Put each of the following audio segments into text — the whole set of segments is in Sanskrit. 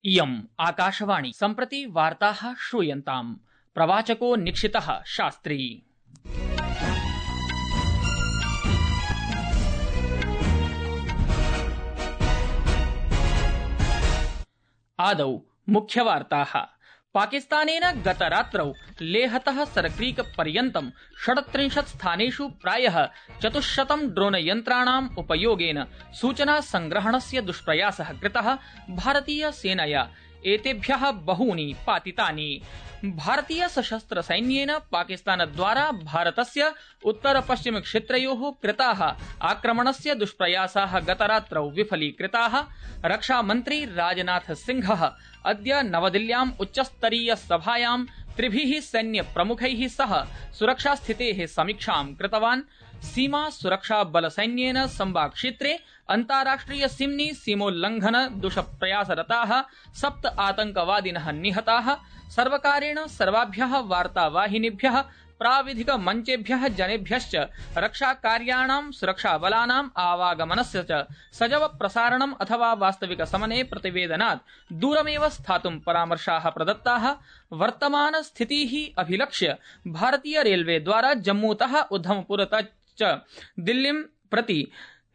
इयम् आकाशवाणी। सम्प्रति वार्ताः श्रूयन्ताम्। प्रवाचको निक्षितः शास्त्री। आदौ मुख्यवार्ताः। पाकिस्तानेन गतरात्रौ लेहतः सरक्रीक पर्यन्तं 38 स्थानेषु प्रायः 400 ड्रोन यन्त्राणाम् उपयोगेन सूचना संग्रहणस्य दुष्प्रयासः कृतः। भारतीय सेनया एतेभ्यः बहूनि पातितानि। भारतीय सशस्त्र सैन्येन पाकिस्तानद्वारा भारतस्य उत्तर पश्चिम क्षेत्रयोः कृताः आक्रमणस्य दुष्प्रयासाः गतरात्रौ विफलीकृताः। रक्षामन्त्री राजनाथ सिंहः अद्य नवदिल्ल्याम् उच्चस्तरीय सभायां त्रिभिः सैन्यप्रमुखैः सह सुरक्षास्थितेः समीक्षां कृतवान्। सीमा सुरक्षा बलसैन्येन सम्बा-क्षेत्रे अन्ताराष्ट्रिय सीम्नि सीमोल्लंघन दुष्प्रयासरताः 7 आतंकवादिनः निहताः। सर्वकारेण सर्वाभ्यः वार्तावाहिनीभ्यः प्राविधिक मञ्चेभ्यः जनेभ्यश्च रक्षाकार्याणां सुरक्षाबलानाम् आवागमनस्य च सजव प्रसारणम् अथवा वास्तविक समये प्रतिवेदनात् दूरमेव स्थातुं परामर्शाः प्रदत्ताः। वर्तमान स्थितिः अभिलक्ष्य भारतीय रेलवे द्वारा जम्मूतः उधमपुरतः च दिल्लीं प्रति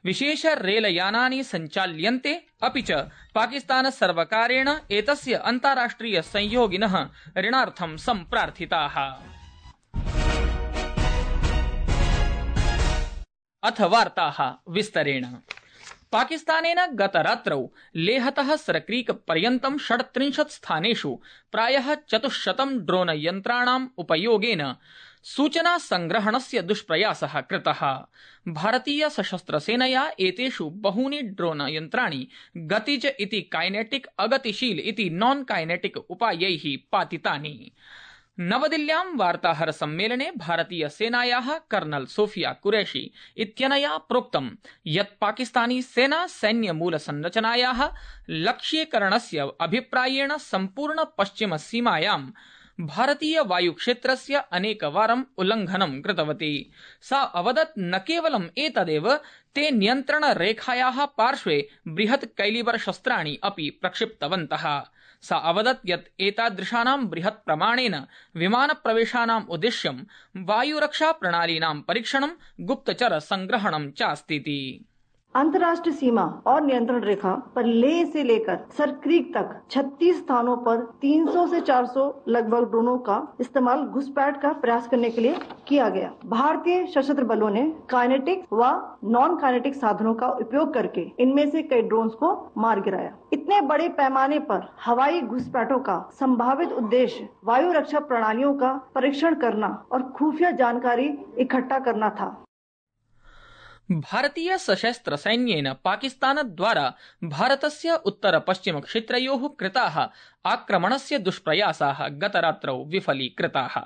विशेष रेलयानानि सञ्चाल्यन्ते। अपि च पाकिस्तान सर्वकारेण एतस्य अन्ताराष्ट्रिय संयोगिनः ऋणार्थं सम्प्रार्थिताः। अथ वार्ताः विस्तरेण। पाकिस्तानेन गतरात्रौ लेहतः सरक्रीक पर्यन्तं 38 स्थानेषु प्रायः 400 ड्रोन यन्त्राणाम् उपयोगेन सूचना संग्रहणस्य दुष्प्रयासः कृतः। भारतीय सशस्त्र सेनया एतेषु बहूनि ड्रोन यन्त्राणि गतिज इति काइनेटिक, अगतिशील इति नॉन काइनेटिक उपायैः पातितानि। नवदिल्ल्यां वार्ताहर सम्मेलने भारतीय सेनायाः कर्नल सोफिया कुरैशी इत्यनया प्रोक्तं यत् पाकिस्तानी सेना सैन्य मूल संरचनायाः लक्ष्यीकरणस्य अभिप्रायेण सम्पूर्ण पश्चिम सीमायां भारतीय वायुक्षेत्रस्य अनेकवारम् उल्लङ्घनं कृतवती। सा अवदत् न केवलम् एतदेव, ते नियन्त्रणरेखायाः पार्श्वे बृहत् कैलिबर शस्त्राणि अपि प्रक्षिप्तवन्तः। सा अवदत् यत् एतादृशानां बृहत् प्रमाणेन विमानप्रवेशानाम् उद्देश्यं वायुरक्षा प्रणालीनां परीक्षणं, गुप्तचर संग्रहणं चास्तीति। अंतर्राष्ट्रीय सीमा और नियंत्रण रेखा पर लेह से लेकर सरक्रीक तक 36 स्थानों पर 300 से 400 लगभग ड्रोनों का इस्तेमाल घुसपैठ का प्रयास करने के लिए किया गया। भारतीय सशस्त्र बलों ने काइनेटिक व नॉन काइनेटिक साधनों का उपयोग करके इनमें से कई ड्रोन्स को मार गिराया। इतने बड़े पैमाने पर हवाई घुसपैठों का संभावित उद्देश्य वायु रक्षा प्रणालियों का परीक्षण करना और खुफिया जानकारी इकट्ठा करना था। भारतीय सशस्त्र सैन्येन पाकिस्तानद्वारा भारतस्य उत्तर पश्चिम क्षेत्रयोः कृताः आक्रमणस्य दुष्प्रयासाः गतरात्रौ विफलीकृताः।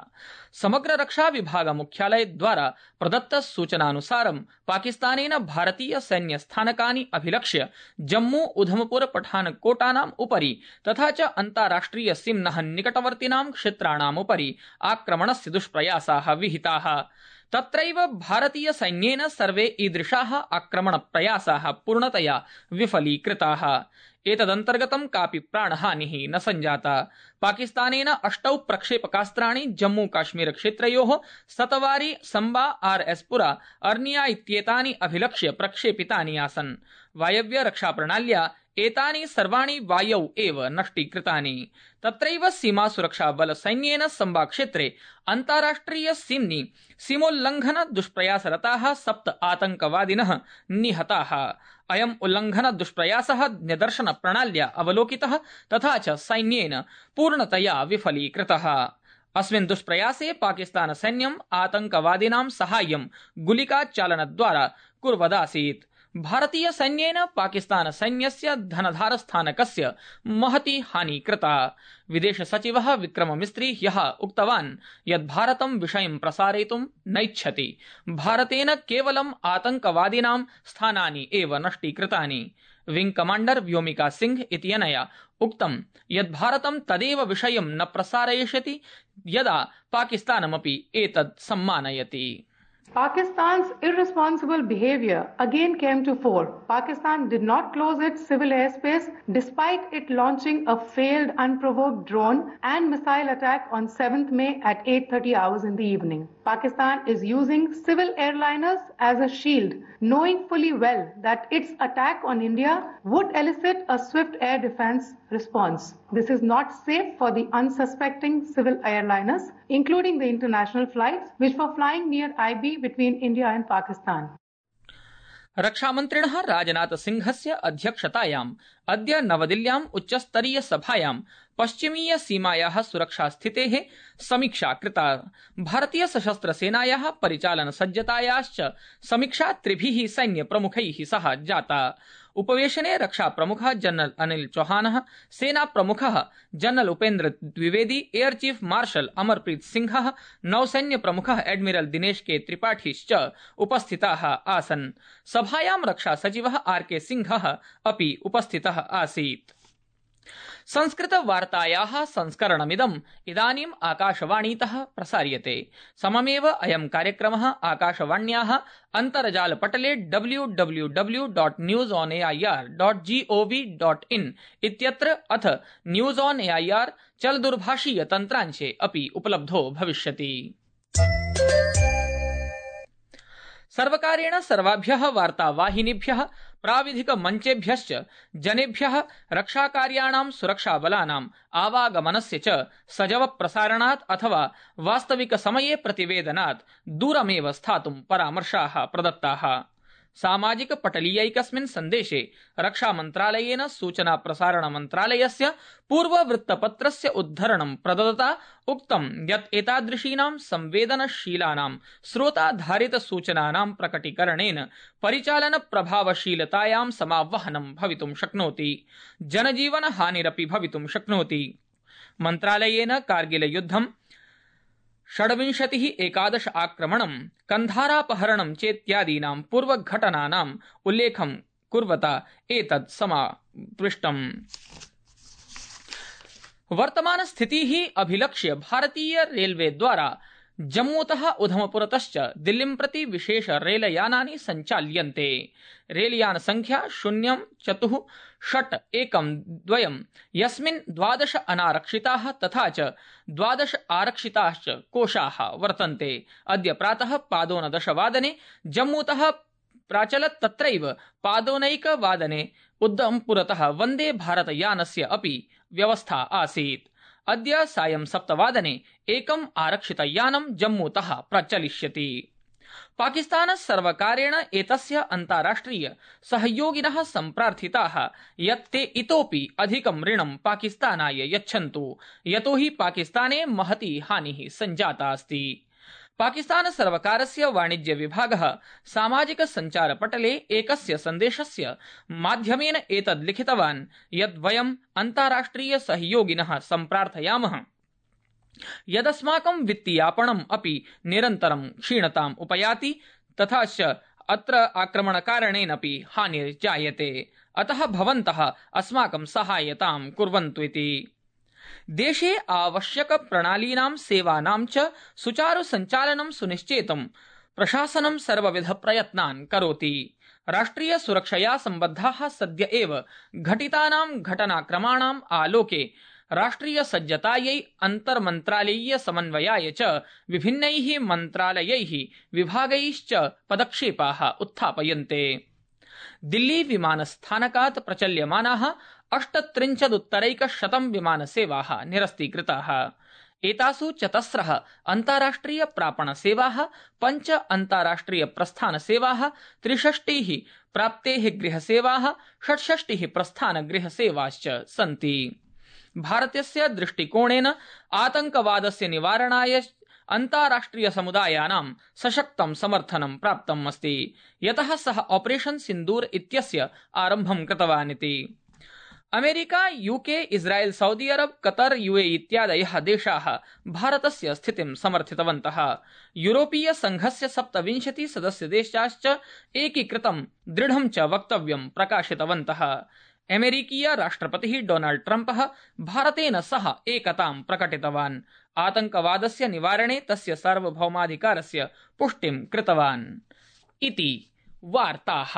समग्र रक्षा विभाग मुख्यालयद्वारा प्रदत्त सूचनानुसारं पाकिस्तानेन भारतीय सैन्य स्थानकानि अभिलक्ष्य जम्मू, उधमपुर, पठानकोटानाम् उपरि तथा च अन्ताराष्ट्रिय सीम्नः निकटवर्तिनां क्षेत्राणाम् उपरि आक्रमणस्य दुष्प्रयासाः विहिताः। तत्रैव भारतीय सैन्येन सर्वे ईदृशाः आक्रमणप्रयासाः पूर्णतया विफलीकृताः। एतदन्तर्गतं कापि प्राणहानिः न सञ्जाता। पाकिस्तानेन 8 प्रक्षेपकास्त्राणि जम्मू काश्मीर क्षेत्रयोः सतवारी, सम्बा, आरएसपुरा, अर्निया इत्येतानि अभिलक्ष्य प्रक्षेपितानि आसन्। वायव्य रक्षा प्रणाल्या एतानि सर्वाणि वायौ एव नष्टीकृतानि। तत्रैव सीमा सुरक्षा बल सैन्येन सम्बा क्षेत्रे अन्ताराष्ट्रिय सीम्नि सीमोल्लंघन दुष्प्रयासरताः 7 आतंकवादिनः निहताः। अयम् उल्लंघन दुष्प्रयासः निदर्शन प्रणाल्या अवलोकितः तथा च सैन्येन पूर्णतया विफलीकृतः। अस्मिन् दुष्प्रयासे पाकिस्तान सैन्यम् आतंकवादिनां साहाय्यं गुलिकाचालनद्वारा कुर्वदासीत्। भारतीय सैन्येन पाकिस्तान सैन्यस्य धनधार स्थानकस्य महती हानि कृता। विदेश सचिवः विक्रम मिस्त्री ह्यः उक्तवान् यत् भारतं विषयं प्रसारयितुं नैच्छति। भारतेन केवलम् आतंकवादिनां स्थानानि एव नष्टीकृतानि। विंग कमाण्डर व्योमिका सिंह इत्यनया उक्तं यत् भारतं तदेव विषयं न प्रसारयिष्यति यदा पाकिस्तानमपि एतत् सम्मानयति। Pakistan's irresponsible behavior again came to fore. Pakistan did not close its civil airspace despite it launching a failed unprovoked drone and missile attack on 7th May at 8:30 hours in the evening. Pakistan is using civil airliners as a shield, knowing fully well that its attack on India would elicit a swift air defense response. This is not safe for the unsuspecting civil airliners, including the international flights which were flying near IB between India and Pakistan. रक्षामन्त्रिणः राजनाथसिंहस्य अध्यक्षतायाम् अद्य नवदिल्ल्याम् उच्चस्तरीय सभायां पश्चिमीय सीमायाः सुरक्षास्थितेः समीक्षा कृता। भारतीय सशस्त्रसेनायाः परिचालनसज्जतायाश्च समीक्षा त्रिभिः सैन्यप्रमुखैः सह जाता। उपवेशने रक्षाप्रमुखः जनरल अनिल चौहानः, सेनाप्रमुखः general Upendra Dwivedi, air chief marshal Amarpreet सिंहः, नौसैन्यप्रमुखः एडमिरल दिनेश के त्रिपाठीश्च उपस्थिताः आसन्। सभायां रक्षासचिवः आर.के. सिंहः अपि उपस्थितः आसीत्। संस्कृतवार्तायाः संस्करणमिदम् इदानीम् आकाशवाणीतः प्रसार्यते। सममेव अयं कार्यक्रमः आकाशवाण्याः अन्तर्जालपटले www.newsonair.gov.in इत्यत्र अथ न्यूज ऑन एआईआर चलदूरभाषीय तन्त्रांशे अपि उपलब्धो भविष्यति। सर्वकारेण सर्वाभ्यः वार्तावाहिनीभ्यः प्राविधिक मंचेभ्यश्च जनेभ्यः रक्षाकार्याणां सुरक्षाबलानाम् आवागमनस्य च सजव प्रसारणात् अथवा वास्तविक समये प्रतिवेदनात् दूरमेव स्थातुं परामर्शाः प्रदत्ताः। सामाजिक पटलीयैकस्मिन् सन्देशे रक्षामन्त्रालयेन सूचना प्रसारण मन्त्रालयस्य पूर्ववृत्तपत्रस्य उद्धरणं प्रदत्ता उक्तं यत् एतादृशीनां संवेदनशीलानां स्रोताधारित सूचनानां प्रकटीकरणेन परिचालन प्रभावशीलतायां समावहनं भवितुं शक्नोति, जनजीवन हानिरपि भवितुं शक्नोति। मन्त्रालयेन कारगिल युद्धं 26-11 आक्रमणं, कन्धारापहरणं चेत्यादीनां पूर्वघटनानाम् उल्लेखं कुर्वता एतत् समापृष्टम्। वर्तमानस्थितिः अभिलक्ष्य भारतीय रेलवे द्वारा जम्मूतः उधमपुरतश्च दिल्लीं प्रति विशेष रेलयानानि सञ्चाल्यन्ते। रेलयान संख्या 046112 यस्मिन् 12 अनारक्षिताः तथा च 12 आरक्षिताश्च कोशाः वर्तन्ते। अद्य प्रातः पादोनदशवादने जम्मूतः प्राचलत्, तत्रैव पादोनैकवादने उधमपुरतः वन्दे भारत यानस्य अपि व्यवस्था आसीत्। अद्य सायं 7 एकम् आरक्षितयानं जम्मूतः प्रचलिष्यति। पाकिस्तान सर्वकारेण एतस्य अन्ताराष्ट्रिय सहयोगिनः सम्प्रार्थिताः यत् ते इतोपि अधिकं ऋणं पाकिस्तानाय यच्छन्तु, यतोहि पाकिस्ताने महती हानिः सञ्जाता अस्ति। पाकिस्तान सर्वकारस्य वाणिज्य विभागः सामाजिक सञ्चारपटले एकस्य सन्देशस्य माध्यमेन एतद् लिखितवान् यत् वयम् अन्ताराष्ट्रिय सहयोगिनः सम्प्रार्थयामः यदस्माकं वित्तीयापणम् अपि निरन्तरं क्षीणताम् उपयाति, तथा च अत्र आक्रमणकारणेनपि हानिर्जायते, अतः भवन्तः अस्माकं सहायतां कुर्वन्तु इति। देशे आवश्यक प्रणालीनां सेवानां च सुचारु सञ्चालनं सुनिश्चेतुं प्रशासनं सर्वविध प्रयत्नान् करोति। राष्ट्रिय सुरक्षया सम्बद्धाः सद्य एव घटितानां घटनाक्रमाणाम् आलोके राष्ट्रिय सज्जतायै अन्तर्मन्त्रालयीय समन्वयाय च विभिन्नैः मन्त्रालयैः विभागैश्च पदक्षेपाः उत्थापयन्ते। दिल्ली विमानस्थानकात् प्रचल्यमानाः 38 विमानसेवाः निरस्तीकृताः। एतासु 4 अन्ताराष्ट्रिय प्रापणसेवाः, 5 अन्ताराष्ट्रिय प्रस्थानसेवाः, 63 प्राप्तेः गृहसेवाः, 66 प्रस्थानगृहसेवाश्च सन्ति। भारतस्य दृष्टिकोणेन आतंकवादस्य निवारणाय अन्ताराष्ट्रिय समुदायानां सशक्तं समर्थनं प्राप्तम् अस्ति, यतः सः ऑपरेशन सिन्दूर इत्यस्य आरम्भं कृतवान् इति। अमेरिका, यूके, इस्राएल, सऊदी अरब, कतर, यूएई इत्यादयः देशाः भारतस्य स्थितिं समर्थितवन्तः। यूरोपीय संघस्य 27 सदस्यदेशाश्च एकीकृतं दृढं च वक्तव्यं प्रकाशितवन्तः। अमेरिकीय राष्ट्रपतिः डोनाल्ड ट्रम्पः भारतेन सह एकतां प्रकटितवान्। आतंकवादस्य निवारणे तस्य सार्वभौमाधिकारस्य पुष्टिं कृतवान्। इति वार्ताः।